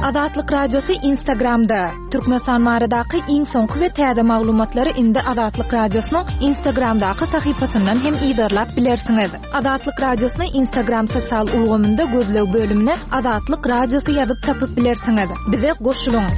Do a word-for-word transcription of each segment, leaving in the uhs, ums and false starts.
Azatlyk Radiosy Instagramda. Türkmenistan baradaky iň soňky we täze maglumatlary indi Azatlyk Radiosynyň Instagramdaky sahypasyndan hem yzarlap bilersiňiz. Azatlyk Radiosyny Instagram sosial ulgamynda gözleg bölümine Azatlyk Radiosy ýazyp tapyp bilersiňiz. Bize goşulyň.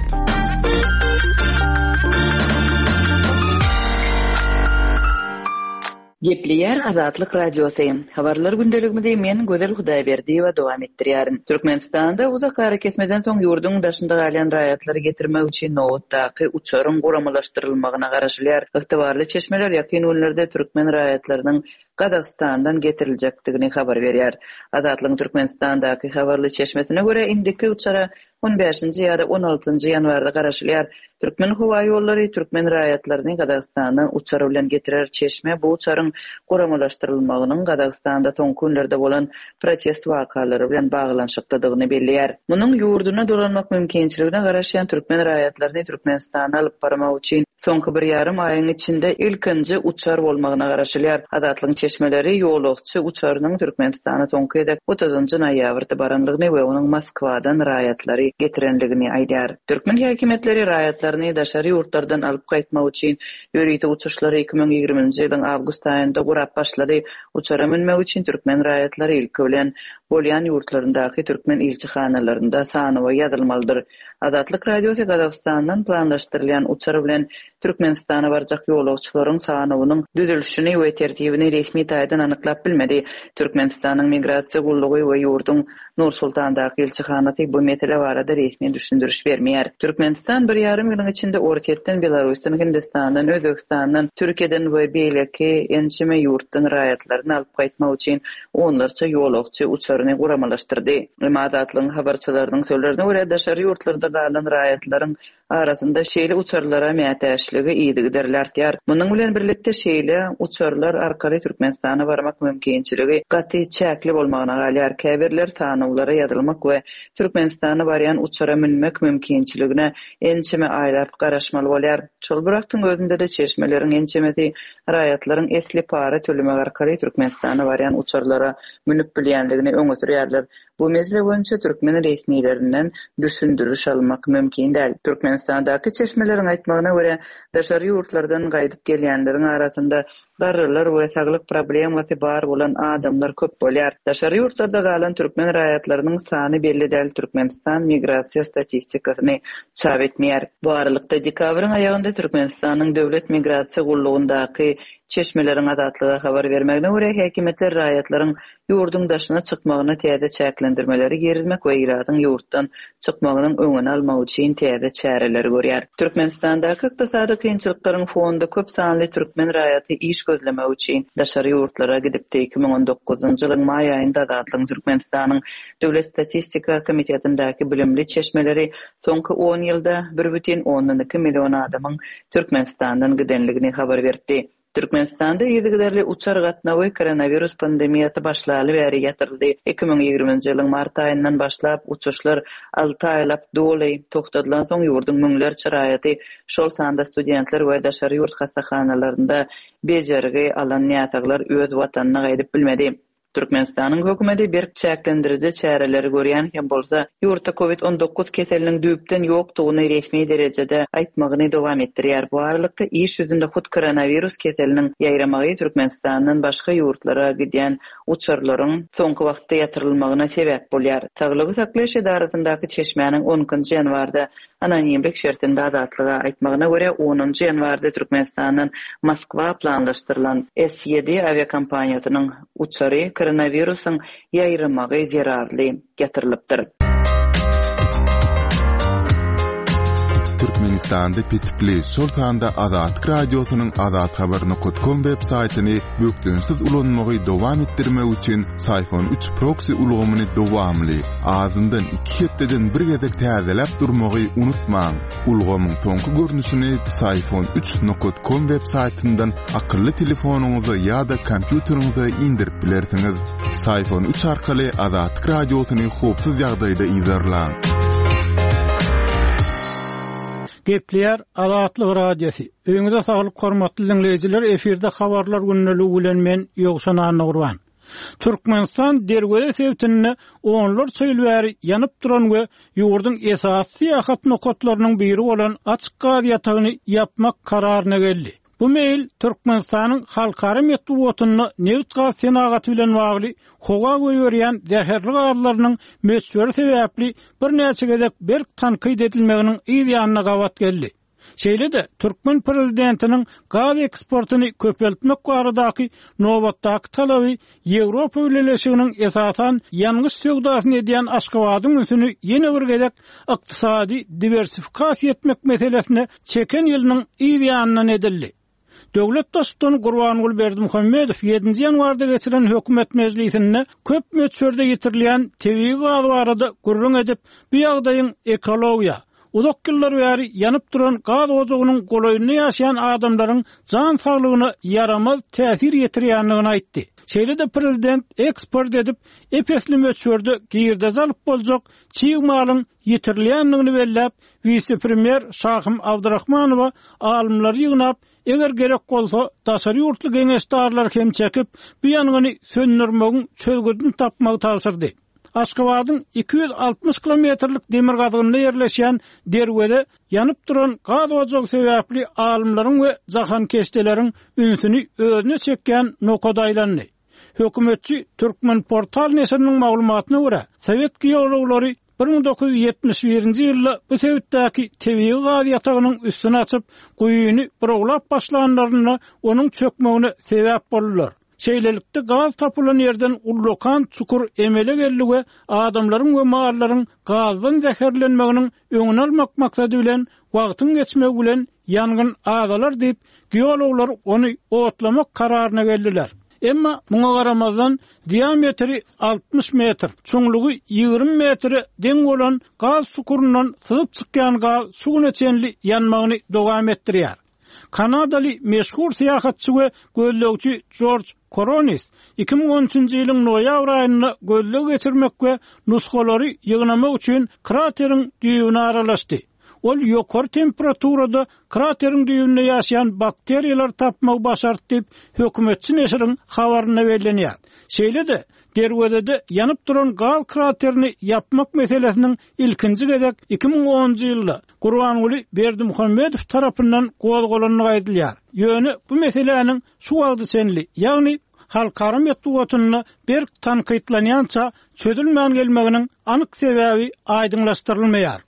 Gepleýär Azatlyk Radiosy. Habarlar gündeligimizi men Gözel Hudaýberdiýewa dowam etdirýärin. Türkmenistanda uzak arakesmeden soň ýurduň daşynda galýan raýatlary getirmek üçin nobatdaky uçaryň guramalaşdyrylmagyna garaşylýar. Ygtybarly çeşmeler ýakyn günlerde türkmen raýatlarynyň Gazagystandan getiriljekdigini habar berýär. Azatlygyň Türkmenistandaky habarly çeşmesine görä indiki uçara on bäşinji ýa-da on altynjy ýanwarda garaşylýar. Türkmen howaýollary türkmen raýatlaryny Gazagystandan uçar bilen getirer. Çeşme bu uçaryň guramalaşdyrylmagynyň Gazagystanda soňky günlerde bolan protest wakalary bilen baglanyşyklydygyny belleýär. Munuň ýurduna dolanmak mümkinçiligine garaşýan türkmen raýatlaryny Türkmenistana alyp barmak üçin soňky bir ýarym aýyň içinde ilkinji uçar bolmagyna garaşylýar. Azatlygyň çeşmeleri ýolagçy uçarynyň Türkmenistana soňky gezek otuzynjy noýabrda baranlygyny we onuň Moskwadan raýatlary getirenligini aýdýar. Türkmen häkimiýetleri raýatlaryny daşary ýurtlardan alyp gaýtmak üçin ýörite uçuşlary iki müň ýigriminji ýylyň awgust aýynda gurap başlady. Uçara münmek üçin türkmen raýatlary ilki bilen bolýan ýurtlaryndaky türkmen ilçihanalarynda sanawa ýazylmalydyr. Azatlyk Radiosy Gazagystandan planlaşdyrylýan uçar bilen Türkmenistana barjak ýolagçylaryň sanawynyň düzülişini we tertibini resmi taýdan anyklap bilmedi. Türkmenistanyň migrasiýa gullugy we ýurduň Nur-Sultandaky ilçihanasy bu mesele barada resmi düşündiriş bermeýär. Türkmenistan bir ýarym ýylyň içinde Orsýetden, Belarusdan, Hindistandan, Özbegistandan, Türkiýeden we beýleki ençeme ýurtdan raýatlaryny alyp gaýtmak üçin onlarça ýolagçy uçaryny guramalaşdyrdy. Emma Azatlygyň habarçylarynyň sözlerine görä daşary ýurtlarda galan raýatlaryň arasynda şeýle uçarlara mätäçligi yzygiderli artýar. Munuň bilen birlikde şeýle uçarlar arkaly Türkmenistana barmak mümkinçiligi gaty çäkli bolmagyna galýar. Käbirler sanawlara ýazylmak we Türkmenistana barýan uçara münmek mümkinçiligine ençeme aýlap garaşmaly bolýar. Şol bir wagtyň özünde-de çeşmeleriň ençemesi raýatlaryň esli para tölemek arkaly Türkmenistana barýan uçarlara münüp bilýänligini öňe sürýärler. Bu mesele boýunça türkmen resmilerinden düşündiriş almak mümkin däl. Türkmenistandaky çeşmeleriň aýtmagyna görä daşary ýurtlardan gaýdyp gelýänleriň arasynda garrylar we saglyk problemasy bar bolan adamlar köp bolýar. Daşary ýurtlarda galan türkmen raýatlarynyň sany belli däl. Türkmenistan migrasiýa statistikasyny çap etmeýär. Bu aralykda dekabryň aýagynda Türkmenistanyň döwlet migrasiýa gullugyndaky çeşmeleriň Azatlyga habar bermegine görä häkimiýetler raýatlaryň ýurduň daşyna çykmagyna täze çäklendirmeleri girizmek we ilatyň ýurtdan çykmagynyň öňüni almak üçin täze çäreleri görýär. Türkmenistandaky ykdysady kynçylyklaryň fonunda köp sanly türkmen raýaty iş gözlemek üçin daşary ýurtlara gidipdi. iki müň on dokuzynjy ýylyň maý aýynda Azatlygyň Türkmenistanyň Döwlet statistika komitetindäki bilimli çeşmeleri soňky on ýylda bir bütin ondan iki million adamyň Türkmenistandan gidenligini habar beripdi. Türkmenistanda yzygiderli uçar gatnawy koronavirus pandemiýasy başlaly bäri ýatyryldy. iki müň ýigriminji ýylyň mart aýyndan başlap uçuşlar alty aýlap doly togtadylan soň ýurduň müňlerçe raýaty, şol sanda studentler we daşary ýurt hassahanalarynda bejergi alan näsaglar öz watanyna gaýdyp bilmedi. Türkmenistanyň hökümeti berk çäklendiriji çäreleri görýän hem bolsa, ýurtda COVID on dokuz keseliniň düýpden ýokdugyny resmi derejede aýtmagyny dowam etdirýär. Bu aralykda iş ýüzünde hut koronavirus keseliniň ýaýramagy Türkmenistandan başga ýurtlara gidýän uçarlaryň soňky wagtda ýatyrylmagyna sebäp bolýar. Saglygy saklaýyş edarasyndaky çeşmäniň on ikinji ýanwarda anonimlik şertinde Azatlyga aýtmagyna görä onunjy ýanwarda Türkmenistandan Moskwa planlaşdyrylan S ýedi awiakompaniýasynyň uçary koronawirusyň ýaýramagy zerarly ýatyrylypdyr. Türkmenistanda petikli, şol sanda Azatlyk Radiosynyň azathabar nokta com web saýtyny bökdençsiz ulanmagy dowam etdirmek üçin Syfon üç proxy ulgamyny dowamly, azyndan iki hepdeden bir gezek täzeläp durmagy unutmaň. Ulgamyň soňky görnüşini Syfon üç nokta com web saýtyndan akylly telefonyňyza ýa-da kompýuteriňize indirip bilersiňiz. Syfon üç arkaly Azatlyk Radiosyny howpsuz ýagdaýda yzarlaň. Gepleýär Azatlyk Radiosy. Öýüňize saglyk hormatly dinleýjiler, efirde habarlar gündeligi bilen men Ýowşan Annagurban. Türkmenistan Derweze sebitinde onlarça ýyl bäri ýanyp duran we ýurduň esasy syýahat nokatlarynyň biri bolan açyk gaz ýatagyny ýapmak kararyna geldi. Bu meýil Türkmenistanyň halkara metbugatynda nebit-gaz senagaty bilen bagly howa goýberýän zäherli gazlarynyň möçberi sebäpli birnäçe gezek berk tankyt edilmeginiň yz ýanyna gabat geldi. Şeýle-de, türkmen prezidentiniň gaz eksportyny köpeltmek baradaky nobatdaky talaby Ýewropa Bileleşiginiň esasan ýangyç söwdasyny edýän Aşgabadyň ünsüni ýene bir gezek ykdysady diwersifikasiýa etmek meselesine çeken ýylynyň yz ýanyndan edildi. Döwlet Baştutany Gurbanguly Berdimuhamedow ýedinji ýanwarda geçiren hökümet mejlisinde köp möçberde ýitirilýän tebigy gaz barada gürrüň edip, bu ýagdaýyň ekologiýa, uzak ýyllar bäri ýanyp duran gaz ojagynyň golaýynda ýaşaýan adamlaryň jan saglygyna ýaramaz täsir ýetirýändigini aýtdy. Şeýle-de prezident eksport edip, ep-esli möçberde girdeji alyp boljak çig malyň ýitirilýändigini belläp, wise-premýer Şahym Abdyrahmanowa alymlary ýygnap, eger gerek bolsa, daşary ýurtly geňeşdarlary hem çekip, bu ýangyny söndürmegiň çözgüdini tapmagy tabşyrdy. Aşgabadyň iki ýüz altmyş kilometrlik demirgazygynda ýerleşýän Derweze ýanyp duran gaz ojagy sebäpli alymlaryň we jahankeşdeleriň ünsüni özüne çekýän nokada aýlandy. Hökümetçi Türkmenportal neşiriniň maglumatyna görä, sowet geologlary bir müň dokuz ýüz ýetmiş birinji ýylda bu sebitdäki tebigy gaz ýatagynyň üstüni açyp, guýyny burawlap başlanlarynda onuň çökmegine sebäp boldular. Şeýlelikde, gaz tapylan ýerden ullakan çukur emele geldi we adamlaryň we mallaryň gazdan zäherlenmeginiň öňüni almak maksady bilen, wagtyň geçmegi bilen ýangyn azalar diýip, geologlar ony otlamak kararyna geldiler. Emma muňa garamazdan, diametri altmyş metr, çuňlugy ýigrimi metre deň bolan gaz çukuryndan syzyp çykýan gaz şu güne çenli ýanmagyny dowam etdirýär. Kanadaly meşhur syýahatçy we gözlegçi Jorj Koronis iki müň on üçünji ýylyň noýabr aýynda gözleg geçirmek we nusgalary ýygnamak üçin krateriň düýbüne aralaşdy. Ol ýokary temperaturada krateriň düýbünde ýaşaýan bakteriýalary tapmagy başardy diýip, hökümetçi neşiriň habarynda bellenýär. Şeýle-de, Derwezede ýanyp duran gaz kraterini ýapmak meselesiniň ilkinji gezek iki müň onunjy ýylda Gurbanguly Berdimuhamedow tarapyndan gozgalandygy aýdylýar. Ýöne bu meseläniň şu wagta çenli, ýagny halkara metbugatynda berk tankytlanýança çözülmän gelmeginiň anyk sebäbi aýdyňlaşdyrylmaýar.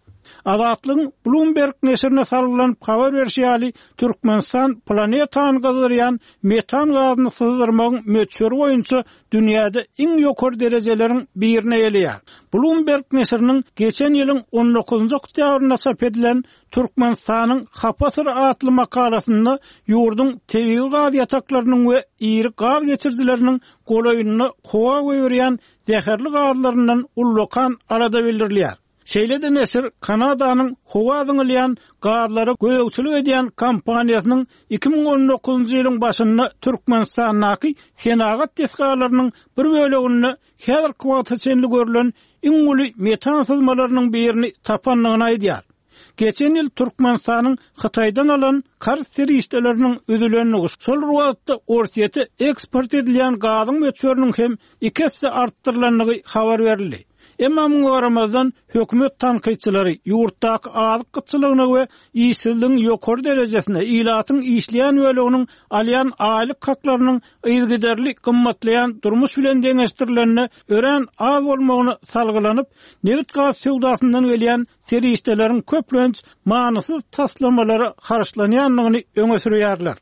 Azatlygyň Bloomberg neşirine salgylanyp habar berşi ýaly, Türkmenistan planetany gyzdyrýan metan gazyny syzdyrmagyň möçberi boýunça dünýäde iň ýokary derejeleriň birini eýeleýär. Bloomberg neşiriniň geçen ýylyň on dokuzynjy oktýabrynda çap edilen Türkmenistanyň hapa syry atly makalasynda ýurduň tebigy gaz ýataklarynyň we iri gaz geçirijileriniň golaýynda howa goýberýän zäherli gazlaryndan ullakan alada bildirilýär. Şeýle-de neşir Kanadanyň howa zyňylýan gazlara gözegçilik edýän kompaniýasynyň iki müň on dokuzynjy ýylyň başynda Türkmenistandaky senagat desgalarynyň bir böleginde häzirki wagta çenli görlen iň uly metan syzmalarynyň birini tapandygyny aýdýar. Geçen ýyl Türkmenistanyň Hytaýdan alan karz serişdeleriniň üzülendigi, şol bir wagtda Orsýete eksport edilýän gazyň möçberiniň hem iki esse artdyrylandygy habar berildi. Emma muňa garamazdan, hökümet tankytçylary ýurtdaky azyk gytçylygyna we işsizligiň ýokary derejesine, ilatyň işleýän böleginiň alýan aýlyk haklarynyň yzygiderli gymmatlaýan durmuş bilen deňeşdirilende örän az bolmagyna salgylanyp, nebit-gaz söwdasyndan gelýän serişdeleriň köplenç manysyz taslamalara harçlanýandygyny öňe sürýärler.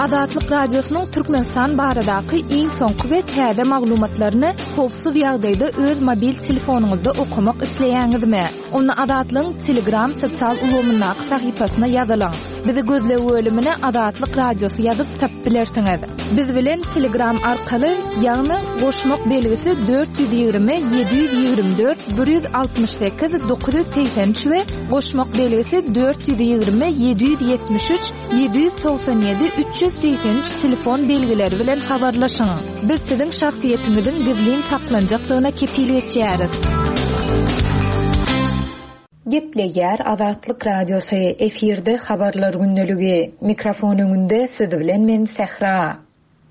Azatlyk Radiosynyň Türkmenistan baradaky iň soňky we täze maglumatlaryny howpsuz ýagdaýda öz mobil telefonyňyzda okamak isleýäňizmi? Onda Azatlygyň Telegram sosial ulgamyndaky sahypasyna ýazylyň. Bizi gözleg bölümine Azatlyk Radiosy ýazyp tapyp bilersiňiz. Biz bilen Telegram arkaly, ýagny goşmak belgisi dört ýüz ýigrimi, ýedi ýüz ýigrimi dört, bir ýüz altmyş sekiz, dokuz ýüz segsen üç we goşmak belgisi dört ýüz ýigrimi, ýedi ýüz ýetmiş üç, ýedi ýüz togsan ýedi, üç ýüz segsen üç telefon belgileri bilen habarlaşyň. Biz siziň şahsyýetiňiziň gizlin saklanjakdygyna kepil geçýäris. Gepleýär Azatlyk Radiosy, efirde habarlar gündeligi. Mikrofon öňünde siz bilen men Sähra.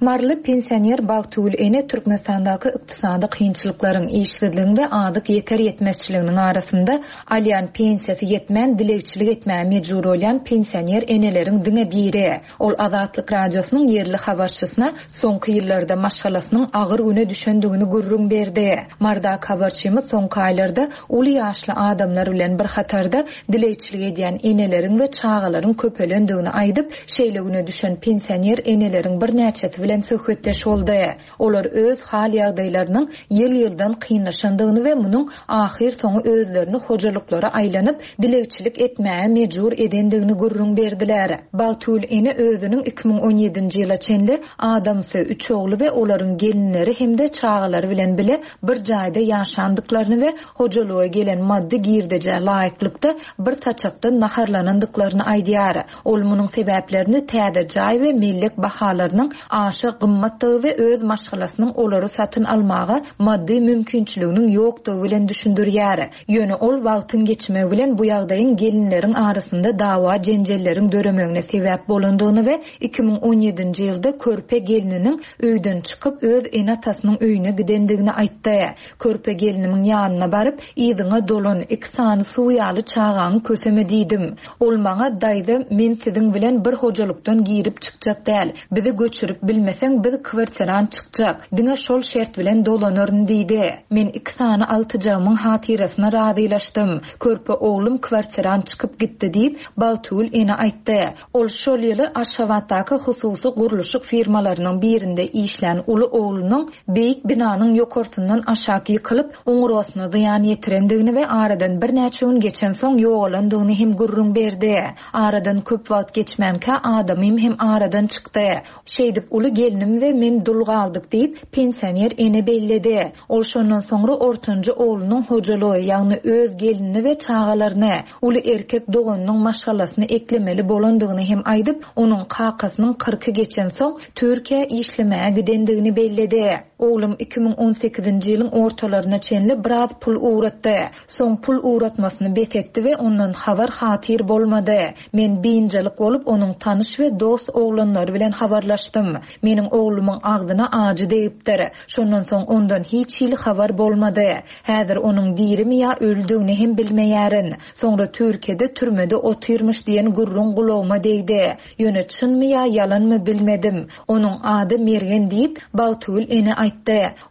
Maryly pensioner Bagtygül ene Türkmenistandaky ykdysady kynçylyklaryň, işsizligiň we azyk ýeter-ýetmezçiliginiň arasynda alýan pensiýasy ýetmän dilegçilik etmäge mejbur bolýan pensioner eneleriň diňe biri. Ol Azatlyk Radiosynyň ýerli habarçysyna soňky ýyllarda maşgalasynyň agyr güne düşendigini gürrüň berdi. Marydaky habarçymyz soňky aýlarda uly ýaşly adamlar bilen bir hatarda dilegçilik edýän eneleriň we çagalaryň köpelendigini aýdyp, şeýle güne düşen pensioner eneleriň birnäçesi bilen söhbetdeş boldy. Olar öz hal ýagdaýlarynyň ýyl-ýyldan kynlaşandygyny we munuň ahyr soňy özlerini hojalyklara aýlanyp dilegçilik etmäge mejbur edendigini gürrüň berdiler. Bagtygül ene özüniň iki müň on ýedinji ýyla çenli adamsy, üç ogly we olaryň gelinleri hem-de çagalary bilen bile bir jaýda ýaşandyklaryny we hojalyga gelen maddy girdejä laýyklykda bir saçakdan naharlanandyklaryny aýdýar. Ol munuň sebäplerini täze jaý we mellek bahalarynyň aşa gymmatdygy we öz maşgalasynyň olary satyn almaga maddy mümkinçiliginiň ýokdugy bilen düşündirýär. Ýöne ol wagtyň geçmegi bilen bu ýagdaýyň gelinleriň arasynda dawa jenjelleriň döremegine sebäp bolandygyny we iki müň on ýedinji ýylda körpe gelniniň öýden çykyp öz ene-atasynyň öýüne gidendigini aýtdy. Körpe gelinimiň ýanyna baryp, yzyňa dolan iki sany suw ýaly çagaňy köseme diýdim. Ol maňa daýza, men siziň bilen bir hojalykdan girip çykjak däl. Bizi göçürip bilmeseň biz kwartiran çykjak. Diňe şol şert bilen dolanaryn diýdi. Men iki sany altyjagymyň hatyrasyna razylaşdym. Körpe oglum kwartiran çykyp gitdi diýip Bagtygül ene aýtdy. Ol şol ýyly Aşgabatdaky hususy gurluşyk firmalarynyň birinde işlän uly oglunyň beýik binanyň ýokarsyndan aşak ýykylyp, oňurgasyna zyýan ýetirendigini we aradan birnäçe gün geçen soň ýogalandygyny hem gürrüň berdi. Aradan köp wagt geçmänkä adamym hem aradan çykdy. Şeýdip uly gelnim we men dul galdyk diýip pensioner ene belledi. Ol şondan soňra ortanjy oglunyň hojalygy, ýagny öz gelinini we çagalaryny, uly erkek doganynyň maşgalasyny eklemeli bolandygyny hem aýdyp, onuň kakasynyň kyrky geçen soň Türkiýä işlemäge gidendigini belledi. Oglum iki müň on sekizinji ýylyň ortalaryna çenli biraz pul ugratdy. Soň pul ugratmasyny bes etdi we ondan habar hatyr bolmady. Men biynjalyk bolup onuň tanyş we dost oglanlary bilen habarlaşdym. Meniň oglumyň agzyna ajy degipdir. Şondan soň ondan hiç hili habar bolmady. Häzir onuň dirimi ýa öldügini hem bilmeýärin. Soňra Türkiýede türmede otyrmyş diýen gürrüň gulagyma degdi. Ýöne çynmy ýa ýalanmy bilmedim. Onuň ady Mergen diýip Bagtygül ene aýtdy.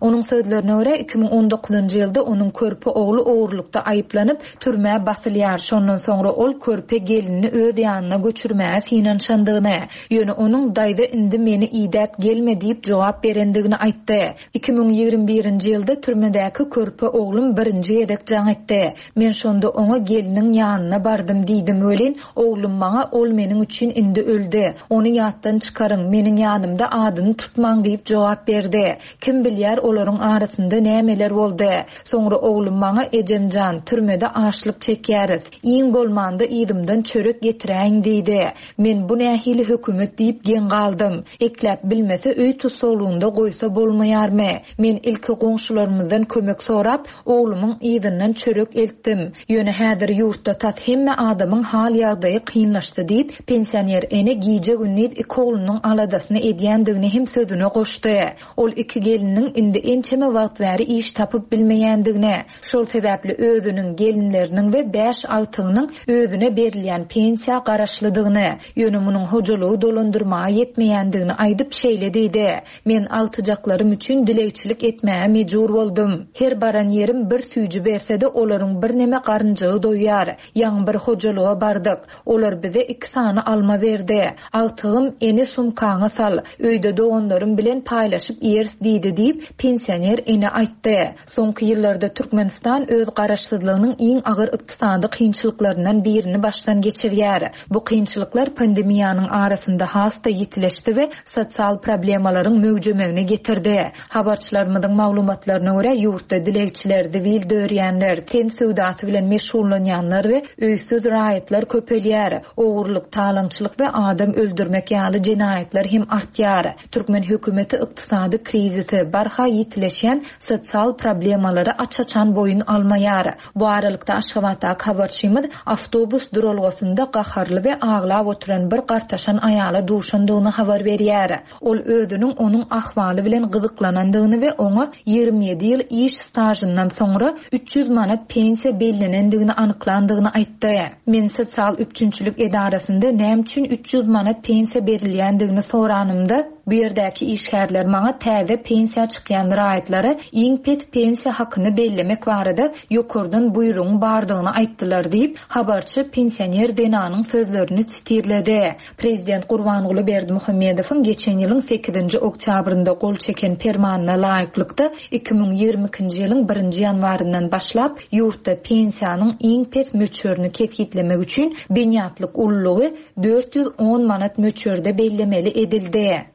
Onuň sözlerine görä iki müň on dokuzynjy ýylda onuň körpe ogly ogurlykda aýyplanyp türmä basylýar. Şondan soňra ol körpe gelinini öz ýanyna göçürmäge synanyşandygyny, ýöne onuň daýza indi meni idäp gelme diýip jogap berendigini aýtdy. Iki müň ýigrimi birinji ýylda türmedäki körpe oglum birinji gezek jaň etdi. Men şonda oňa geliniň ýanyna bardym diýdim welin, oglum maňa ol meniň üçin indi öldi. Ony ýatdan çykaryň, meniň ýanymda adyny tutmaň diýip jogap berdi. Kim bilýär olaryň arasynda nämeler boldy. Soňra oglum maňa ejemjan, türmede açlyk çekýäris. Iň bolmanda yzymdan çörek getiräýin diýdi. Men bu nähili hökümet diýip geň galdym. Ekläp bilmese öý tussaglygynda goýsa bolmaýarmy? Men ilki goňşularymyzdan kömek sorap, oglumyň yzyndan çörek eltdim. Ýöne häzir ýurtda tas hemme adamyň hal ýagdaýy kynlaşdy diýip, pensioner ene gije gündiz iki oglunyň aladasyny edýändigini hem sözüne goşdy. Ol iki geliniň indi ençeme wagt bäri iş tapyp bilmeýändigini, şol sebäpli özüniň, gelinleriniň we bäş agtygynyň özüne berilýän pensiýa garaşlydygyny, ýöne munuň hojalygy dolandyrmaga ýetmeýändigini aýdyp şeýle diýdi. Men agtyjaklarym üçin dilegçilik etmäge mejbur boldum. Her baran ýerim bir süýji berse-de olaryň bir neme garynjygy doýýar. Ýaňy bir hojalyga bardyk. Olar bize iki sany alma berdi. Agtygym ene sumkaňa sal, öýde doganlarym bilen paýlaşyp ýeriz diýdi diýip pensioner ene aýtdy. Soňky ýyllarda Türkmenistan öz garaşsyzlygynyň iň agyr ykdysady kynçylyklaryndan birini başdan geçirýär. Bu kynçylyklar pandemiýanyň arasynda has-da ýitileşdi we sosial problemalaryň möwjemegine getirdi. Habarçylarymyzyň maglumatlaryna görä ýurtda dilegçiler, zibil dörýänler, ten söwdasy bilen meşgullanýanlar we öýsüz raýatlar köpelýär. Ogurlyk, talaňçylyk we adam öldürmek ýaly jenaýatlar hem artýar. Türkmen hökümeti ykdysady krizisi ýolbaşçysy barha ýitileşýän sosial problemalary aç-açan boýun almaýar. Bu aralykda Aşgabatdaky habarçymyz awtobus duralgasynda gaharly we aglap oturan bir gartaşan aýala duşandygyny habar berýär. Ol özüniň onuň ahwaly bilen gyzyklanandygyny we oňa ýigrimi ýedi ýyl iş stažyndan soňra üç ýüz manat pensiýa bellenendigini anyklandygyny aýtdy. Men sosial üpjünçilik edarasynda näme üçin üç ýüz manat pensiýa berilýändigini soranymda, bu ýerdäki işgärler maňa täze pensiýa çykýan raýatlara iň pes pensiýa hakyny bellemek barada ýokardan buýrugyň bardygyny aýtdylar diýip, habarçy pensioner zenanyň sözlerini sitirledi. Prezident Gurbanguly Berdimuhamedowyň geçen ýylyň sekizinji oktýabrynda gol çeken permanyna laýyklykda iki müň ýigrimi ikinji ýylyň birinji ýanwaryndan başlap ýurtda pensiýanyň iň pes möçberini kesgitlemek üçin binýatlyk ululygy dört ýüz on manat möçberde bellemeli edildi.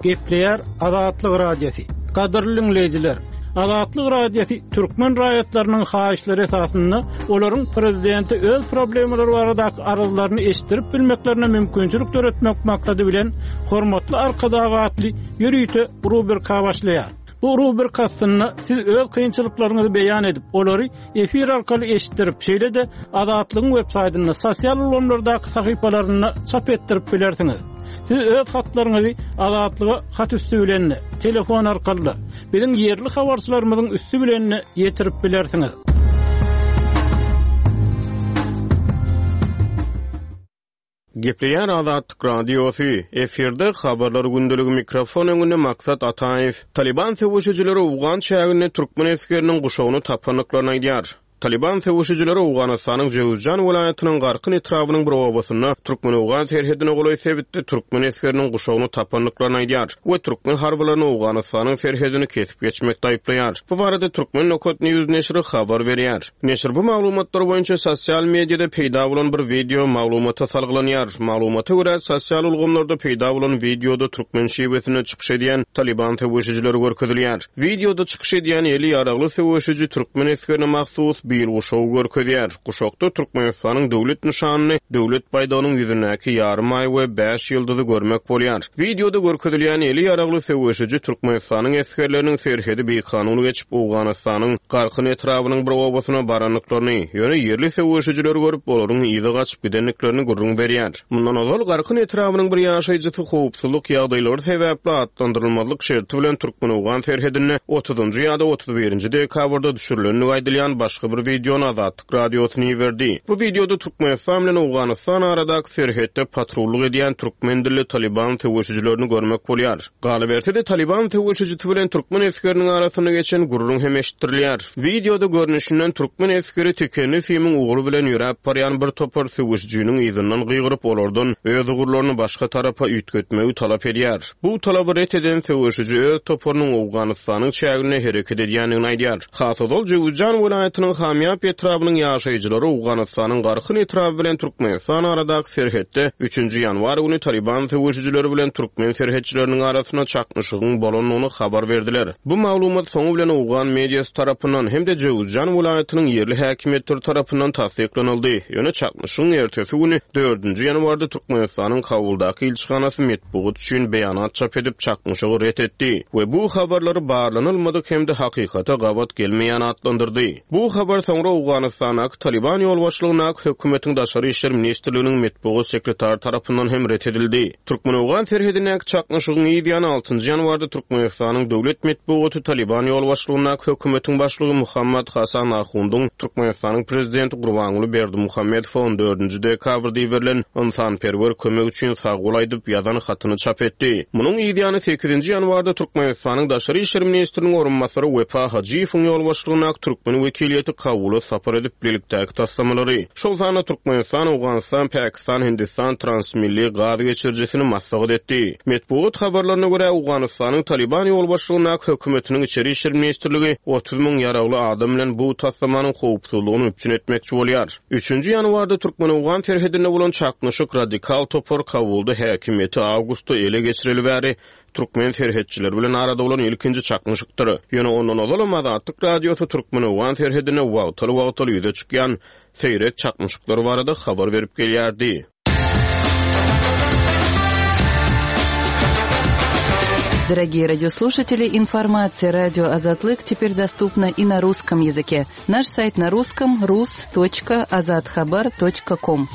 Gepleýär Azatlyk Radiosy. Gadyrly dinleýjiler, Azatlyk Radiosy türkmen raýatlarynyň haýyşlary esasynda olaryň prezidenti öz problemalary baradaky arzlaryny eşitdirip bilmeklerine mümkinçilik döretmek maksady bilen Hormatly Arkadag atly ýörite rubrika başlaýar. Bu rubrika aslynda siz öz kynçylyklaryňyzy beýan edip, olary efir arkaly eşitdirip, şeýle-de Azatlygyň web saýtynda, sosial ulgamlardaky sahypalarynda çap etdirip bilersiňiz. Siz öz hatlaryňyzy Azatlyga hat üstü bilen, telefon arkaly, biziň ýerli habarçylarymyzyň üstü bilen ýetirip bilersiňiz. Gepleýär Azatlyk Radiosy, efirde habarlar gündeligi mikrofon öňünde Maksat Ataýew. Taliban söweşijileri Owgan çäginde türkmen esgeriniň guşagyny tapandyklaryny aýdýar. Taliban söweşijileri Owganystanyň Jöwüzjan welaýatynyň Garkyn etrabynyň bir obasynda Türkmen-Owgan serhedine golaý sebitde türkmen esgeriniň guşagyny tapandyklaryny aýdýar we türkmen harbylaryny Owganystanyň serhedini kesip geçmekde aýyplaýar. Bu barada Türkmen Nokat News neşiri habar berýär. Neşir bu maglumatlar boýunça sosial mediada peýda bolan bir video maglumata salgylanýar. Maglumata görä sosial ulgamlarda peýda bolan videoda türkmen şiwesinde çykyş edýän Taliban söweşijileri görkezilýär. Videoda çykyş edýän eli ýaragly söweşiji türkmen esgerine mahsus bir guşagy görkezýär. Guşakda Türkmenistanyň döwlet nyşanyny, döwlet baýdagynyň ýüzündäki ýarym aý we bäş ýyldyzy görmek bolýar. Videoda görkezilýän eli ýaragly söweşiji Türkmenistanyň esgerleriniň serhedi bikanun geçip Owganystanyň Garkyn etrabynyň bir obasyna barandyklaryny, ýöne ýerli söweşijileri görüp olaryň yzy gaçyp gidendiklerini gürrüň berýär. Mundan ozal Garkyn etrabynyň bir ýaşaýjysy howpsuzlyk ýagdaýlary sebäpli atlandyrylmazlyk şerti bilen Türkmen-Owgan serhedinde otuzynjy ýa-da otuz birinji dekabrda düşürilendigi aýdylýan başga bir videony Azatlyk Radiosyny iberdi. Bu videoda Türkmenistan bilen Owganystan aradaky serhetde patrullyk edýän türkmen dilli Taliban söweşijilerini görmek bolýar. Galyberse-de Taliban söweşijisi bilen türkmen esgeriniň arasynda geçen gürrüň hem eşitdirilýär. Videoda görnüşinden türkmen esgeri tikenli simiň ugry bilen ýöräp barýan bir topar söweşijiniň yzyndan gygyryp olardan öz ugurlaryny başga tarapa üýtgetmegi talap edýär. Bu talaby ret eden söweşiji öz toparynyň Owganystanyň çäginde hereket edýändigini aýdýar. Has ozal Jöwüzjan welaýatynyň Hamýap etrabynyň ýaşaýjylary Owganystanyň Garkyn etraby bilen Türkmenistan aradaky serhetde üçünji ýanwar güni Taliban söweşijileri bilen türkmen serhetçileriniň arasynda çaknyşygyň bolandygyny habar berdiler. Bu maglumat soňy bilen Owgan mediasy tarapyndan hem-de Jöwüzjan welaýatynyň ýerli häkimiýetleri tarapyndan tassyklanyldy. Ýöne çaknyşygyň ertesi güni dördünji ýanwarda Türkmenistanyň Kabuldaky ilçihanasy metbugat üçin beýanat çap edip çaknyşygy ret etdi we bu habarlary barlanylmadyk hem-de hakykata gabat gelmeýän atlandyrdy. Bu habar soňra Owganystandaky Taliban ýolbaşçylygyndaky hökümetiň daşary işler ministrliginiň metbugat sekretary tarapyndan hem ret edildi. Türkmen-Owgan serhedindäki çaknyşygyň yz ýany altynjy ýanwarda Türkmenistanyň döwlet metbugaty Taliban ýolbaşçylygyndaky hökümetiň başlygy Muhammad Hasan Ahundyň Türkmenistanyň prezidenti Gurbanguly Berdimuhamedowa on dördünji dekabrda iberilen ynsanperwer kömek üçin sagbol aýdyp ýazan hatyny çap etdi. Munuň yz ýany sekizinji ýanwarda Türkmenistanyň daşary işler ministriniň orunbasary Wepa Hajyýewiň ýolbaşçylygyndaky türkmen wekiliýeti Kabula sapar edip bilelikdäki taslamalary, şol sanda Türkmenistan, Owganystan, Pakistan, Hindistan transmilli gaz geçirijisini maslahat etdi. Metbugat habarlaryna görä Owganystanyň Taliban ýolbaşçylygyndaky hökümetiniň içeri işler ministrligi otuz müň ýaragly adam bilen bu taslamanyň howpsuzlygyny üpjün etmekçi bolýar. Üçünji ýanwarda Türkmen-Owgan serhedinde bolan çaknyşyk radikal topar Kabulda häkimiýeti awgustda ele geçireli bäri türkmen serhetçileri bilen arada bolan ilkinji çaknyşykdyr. Ýöne ondan ozalam Azatlyk Radiosy Türkmen-Owgan serhedinde wagtal-wagtal ýüze çykýan seýrek çaknyşyklar barada habar berip gelýärdi. Дорогие радиослушатели, информация радио Азатлык теперь доступна и на русском языке. Наш сайт на русском rus.azathabar.com.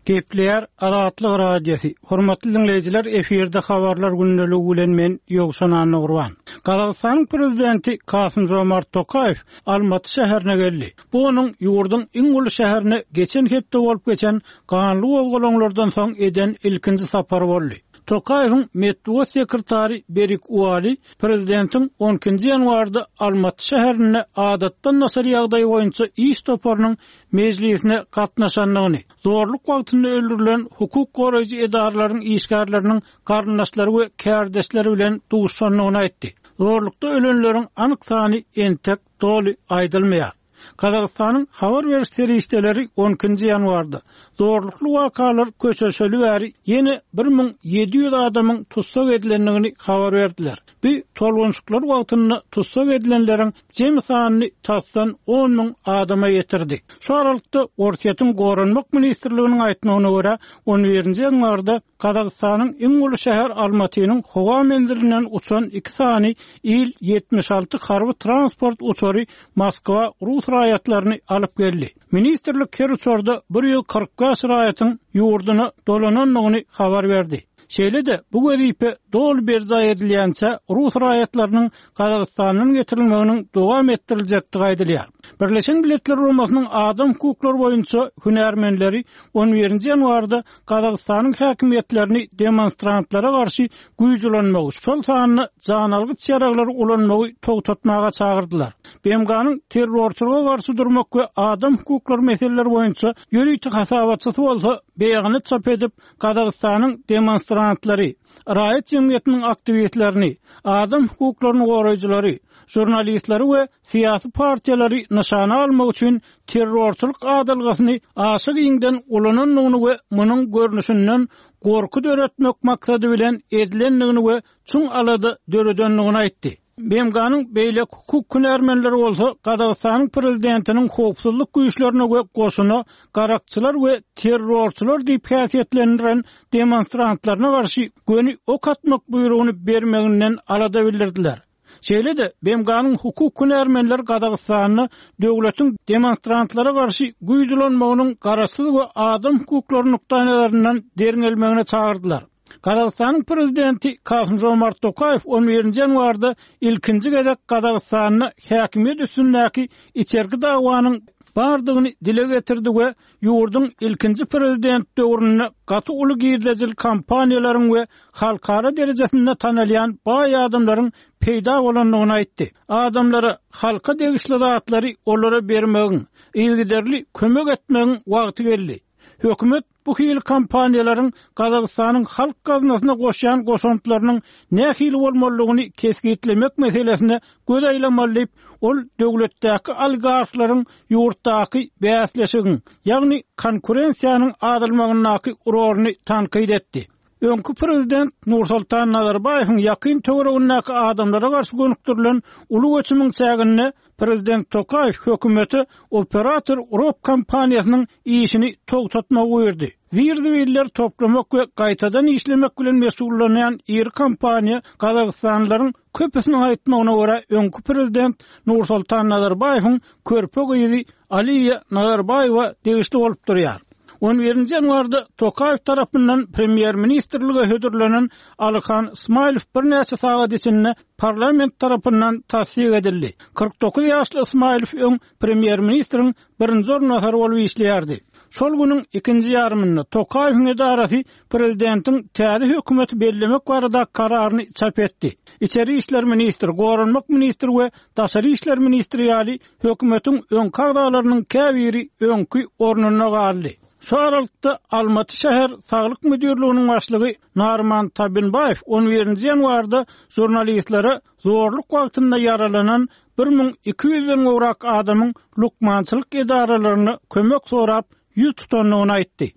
Gepleýär Azatlyk Radiosy. Hormatly dinleýjiler, efirde habarlar gündeligi bilen men Ýowşan Annagurban. Gazagystanyň prezidenti Kasym-Jomart Tokaýew Almaty şäherine geldi. Bu onuň ýurduň iň uly şäherine geçen hepde bolup geçen ganly gozgalaňlardan soň eden ilkinji sapary boldy. Tokaýewiň metbugat sekretary Berik Uali prezidentiň on ikinji ýanwarda Almaty şäherinde adatdan daşary ýagdaý boýunça iş toparynyň mejlisine gatnaşandygyny, zorluk wagtynda öldürilen hukuk goraýjy edaralaryň işgärleriniň garyndaşlary we kärdeşleri bilen duşandygyny aýtdy. Zorlukda ölenleriň anyk sany entek doly aýdylmaýar. Gazagystanyň habar beriş serişdeleri on ikinji ýanwarda zorlukly wakalar köşeşeli bäri ýene bir müň ýedi ýüz adamyň tussag edilendigini habar berdiler. Bu tolgunçyklar wagtynda tussag edilenleriň jemi sanyny tasdan on müň adama ýetirdi. Şu aralykda Orsýetiň Goranmak Ministrliginiň aýtmagyna görä on birinji ýanwarda Gazagystanyň iň uly şäher Almatynyň howa menzilinden uçan iki sany Il ýetmiş alty harby transport uçary Moskwa Rus raýatlaryny alyp geldi. Ministrlik her uçarda bir ýüz kyrk bäş raýatyň ýurduna dolanandygyny habar berdi. Şeýle-de bu wezipe doly berjaý edilýänçe Rus raýatlarynyň Gazagystandan getirilmeginiň dowam etdiriljekdigi aýdylýar. Birleşen Milletler Guramasynyň adam hukuklary boýunça hünärmenleri on birinji ýanwarda Gazagystanyň häkimiýetlerini demonstrantlara garşy güýç ulanmagy, şol sanda janalgyç ýaraglary ulanmagy togtatmaga çagyrdylar. B M G-nyň terrorçylyga garşy durmak we adam hukuklary meseleleri boýunça ýörite hasabatçysy bolsa beýanat çap edip, Gazagystanyň demonstrantlary, raýat jemgyýetiniň aktiwistlerini, adam hukuklaryny goraýjylary, jurnalistleri we syýasy partiýalary nyşana almak üçin terrorçylyk adalgasyny aşa giňden ulanandygyny we munuň görnüşinden gorky döretmek maksady bilen edilendigini we çuň alada döredendigini aýtdy. B M G-nyň beýleki hukuk hünärmenleri bolsa Gazagystanyň prezidentiniň howpsuzlyk güýçlerine we goşuna garakçylar we terrorçylar diýip häsiýetlendiren demonstrantlaryna garşy göni ok atmak buýrugyny bermeginden alada bildirdiler. Şeýle-de B M G-nyň hukuk hünärmenleri Gazagystanda döwletiň demonstrantlara garşy güýç ulanmagynyň garaşsyz we adam hukuklary nukdaýnazaryndan derňelmegine çagyrdylar. Gazagystanyň prezidenti Kasym-Jomart Tokaýew on birinji ýanwarda ilkinji gezek Gazagystanda häkimiýet üstündäki içerki dawanyň bardygyny dile getirdi we ýurduň ilkinji prezident döwründe gaty uly girdejil kompaniýalaryň we halkara derejesinde tanalýan baý adamlaryň peýda bolandygyny aýtdy. Adamlara halka degişli zatlary olara bermegiň, yzygiderli kömek etmegiň wagty geldi. Hökümet bu hil kompaniýalaryň Gazagystanyň halk gaznasyna goşýan goşantlarynyň nähili bolmalydygyny kesgitlemek meselesine göz aýlamaly diýip, ol döwletdäki oligarhlaryň ýurtdaky bäsleşigiň, ýagny konkurensiýanyň azalmagyndaky roluny tankyt etdi. Öňki prezident Nursultan Nazarbaýewiň ýakyn töweregindäki adamlara garşy gönükdirilen uly göçümiň çäginde prezident Tokaýew hökümeti operator Urop kompaniýasynyň işini togtatmagy buýurdy. Zir-zibiller toplamak we gaýtadan işlemek bilen meşgullanýan iri kompaniýa Gazagystanlylaryň köpüsiniň aýtmagyna görä öňki prezident Nursultan Nazarbaýewiň körpe gyzy Aliýa Nazarbaýewa degişli bolup durýar. On birinji ýanwarda Tokaýew tarapyndan premýer-ministrlige hödürlenen Alyhan Ismailow birnäçe sagat içinde parlament tarapyndan tassyk edildi. Kyrk dokuz ýaşly Ismailow öň premýer-ministriň birinji orunbasary bolup işleýärdi. Şol günüň ikinji ýarymynda Tokaýewiň edarasy prezidentiň täze hökümeti bellemek barada kararyny çap etdi. İçeri işler ministri, goranmak ministri we daşary işler ministri ýaly hökümetiň öňki agzalarynyň käbiri öňki ornunda galdy. Şu aralykda Almaty şäher Saglyk müdirliginiň başlygy Narman Tabinbaýew on birinji ýanwarda jurnalistlere zorluk wagtynda ýaralanan bir müň iki ýüzden gowrak adamyň lukmançylyk edaralaryna kömek sorap ýüz tutandygyny aýtdy.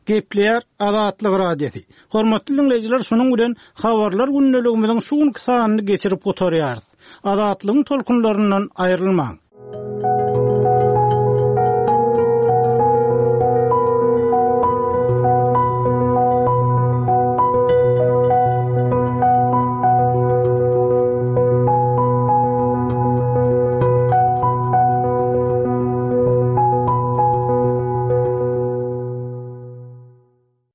Gepleýär Azatlyk Radiosy. Hormatly dinleýjiler, şunuň bilen habarlar gündeligimiziň şu günki sanyny geçirip gutarýarys. Azatlygyň tolkunlaryndan aýrylmaň.